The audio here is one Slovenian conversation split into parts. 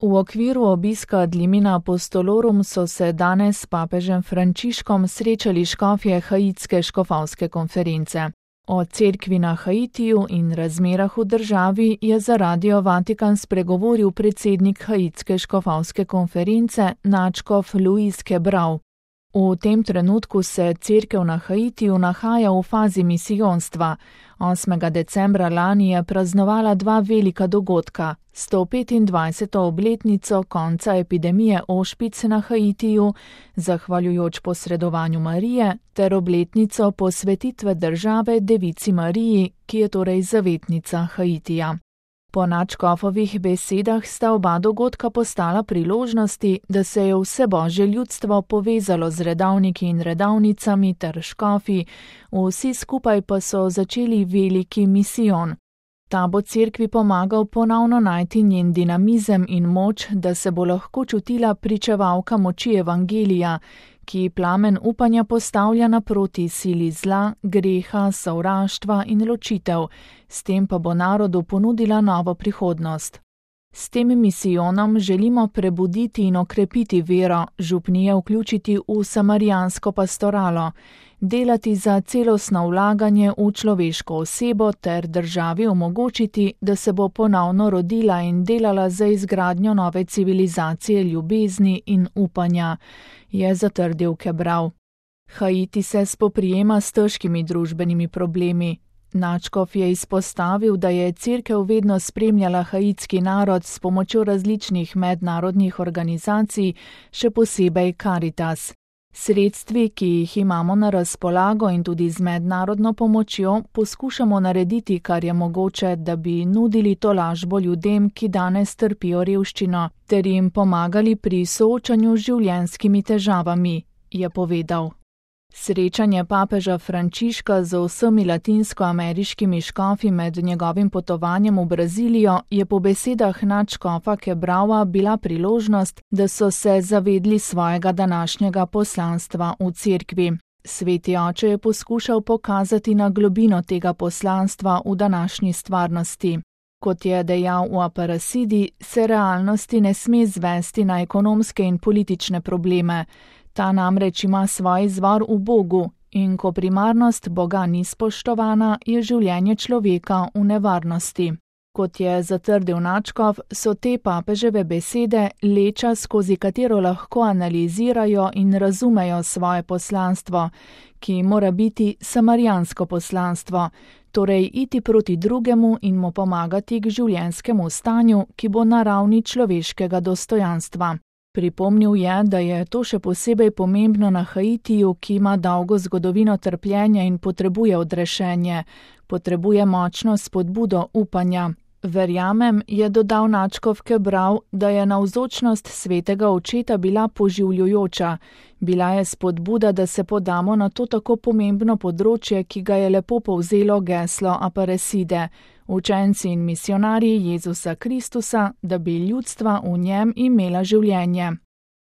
V okviru obiska ad limina apostolorum so se danes s papežem Frančiškom srečali škofje haitske škofovske konference. O cerkvi na Haitiju in razmerah v državi je za Radio Vatikan spregovoril predsednik haitske škofovske konference nadškof Luis Quebrao. V tem trenutku se cerkev na Haitiju nahaja v fazi misijonstva. 8. decembra lani je praznovala dva velika dogodka, 125. obletnico konca epidemije ošpic na Haitiju, zahvaljujoč posredovanju Marije, ter obletnico posvetitve države Devici Mariji, ki je torej zavetnica Haitija. Po nadškofovih besedah sta oba dogodka postala priložnosti, da se je vse božje ljudstvo povezalo z redavniki in redavnicami ter škofi, vsi skupaj pa so začeli veliki misijon. Ta bo cerkvi pomagal ponovno najti njen dinamizem in moč, da se bo lahko čutila pričevalka moči evangelija, ki plamen upanja postavlja naproti sili zla, greha, sovraštva in ločitev, s tem pa bo narodu ponudila novo prihodnost. S tem misijonom želimo prebuditi in okrepiti vero, župnije vključiti v samarijansko pastoralo, delati za celostno vlaganje v človeško osebo ter državi omogočiti, da se bo ponovno rodila in delala za izgradnjo nove civilizacije ljubezni in upanja, je zatrdil Quebrao. Haiti se spoprijema s težkimi družbenimi problemi. Nadškof je izpostavil, da je cerkev vedno spremljala haitski narod s pomočjo različnih mednarodnih organizacij, še posebej Caritas. Sredstvi, ki jih imamo na razpolago in tudi z mednarodno pomočjo, poskušamo narediti, kar je mogoče, da bi nudili tolažbo ljudem, ki danes trpijo revščino, ter jim pomagali pri soočanju z življenjskimi težavami, je povedal. Srečanje papeža Frančiška z vsemi latinskoameriškimi škofi med njegovim potovanjem v Brazilijo je po besedah nadškofa Quebraoa bila priložnost, da so se zavedli svojega današnjega poslanstva v cerkvi. Sveti oče je poskušal pokazati na globino tega poslanstva v današnji stvarnosti. Kot je dejal v Aparecidi, se realnosti ne sme zvesti na ekonomske in politične probleme. Ta namreč ima svoj izvor v Bogu in ko primarnost Boga ni spoštovana, je življenje človeka v nevarnosti. Kot je zatrdil nadškof, so te papeževe besede leča, skozi katero lahko analizirajo in razumejo svoje poslanstvo, ki mora biti samarijansko poslanstvo, torej iti proti drugemu in mu pomagati k življenjskemu stanju, ki bo na ravni človeškega dostojanstva. Pripomnil je, da je to še posebej pomembno na Haitiju, ki ima dolgo zgodovino trpljenja in potrebuje odrešenje, potrebuje močno spodbudo upanja. Verjamem, je dodal nadškof Quebrao, da je navzočnost svetega očeta bila poživljujoča. Bila je spodbuda, da se podamo na to tako pomembno področje, ki ga je lepo povzelo geslo Aparecide, učenci in misionarji Jezusa Kristusa, da bi ljudstva v njem imela življenje.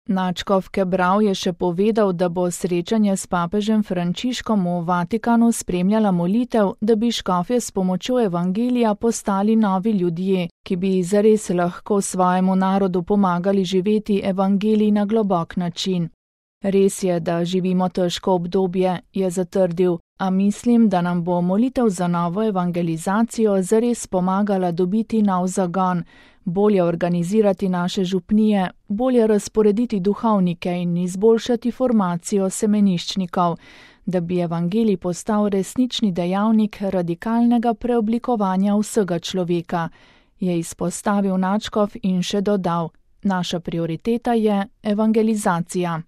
Nadškof Quebrao je še povedal, da bo srečanje s papežem Frančiškom v Vatikanu spremljala molitev, da bi škofje s pomočjo evangelija postali novi ljudje, ki bi zares lahko svojemu narodu pomagali živeti evangelij na globok način. Res je, da živimo težko obdobje, je zatrdil, a mislim, da nam bo molitev za novo evangelizacijo zares pomagala dobiti nov zagon, bolje organizirati naše župnije, bolje razporediti duhovnike in izboljšati formacijo semeniščnikov, da bi evangelij postal resnični dejavnik radikalnega preoblikovanja vsega človeka, je izpostavil nadškof in še dodal, naša prioriteta je evangelizacija.